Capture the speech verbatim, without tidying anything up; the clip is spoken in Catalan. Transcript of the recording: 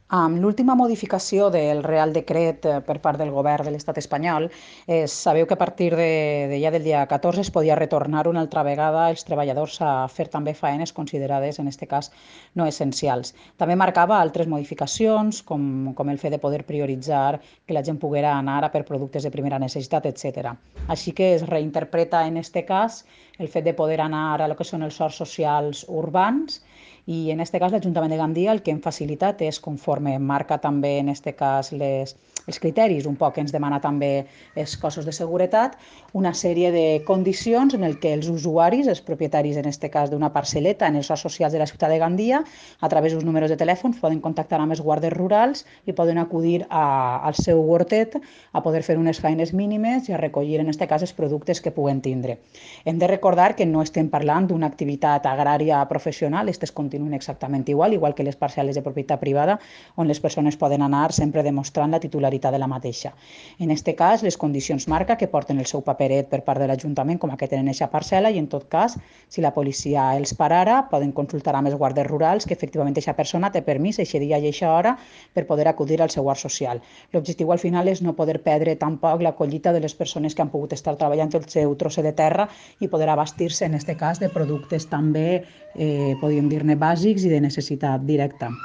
Amb l'última modificació del Real Decret eh, per part del govern de l'estat espanyol, eh, sabeu que a partir de, de ja del dia catorze es podia retornar una altra vegada els treballadors a fer també faenes considerades, en aquest cas, no essencials. També marcava altres modificacions, com, com el fet de poder prioritzar que la gent poguera anar a per productes de primera necessitat, etcètera. Així que es reinterpreta en aquest cas el fet de poder anar a lo que són els horts socials urbans i en aquest cas l'Ajuntament de Gandia el que hem facilitat és, conforme marca també en aquest cas les, els criteris, un poc que ens demana també els cossos de seguretat, una sèrie de condicions en el que els usuaris, els propietaris en aquest cas d'una parcel·leta en els horts socials de la ciutat de Gandia, a través dels números de telèfon poden contactar amb els guàrdies rurals i poden acudir a, al seu hortet a poder fer unes feines mínimes i a recollir en aquest cas els productes que puguen tindre. Hem de recordar que no estem parlant d'una activitat agrària professional, aquestes continuen exactament igual, igual que les parcel·les de propietat privada, on les persones poden anar sempre demostrant la titularitat de la mateixa. En aquest cas, les condicions marca que porten el seu paperet per part de l'Ajuntament com a que tenen aquesta parcel·la i, en tot cas, si la policia els parara, poden consultar amb els guàrdies rurals que efectivament aquesta persona té permís aquest dia i aquesta hora per poder acudir al seu hort social. L'objectiu al final és no poder perdre tampoc la collita de les persones que han pogut estar treballant el seu trosset de terra i poder abastir-se, en aquest cas, de productes també, eh, podríem dir-ne, bàsics i de necessitat directa.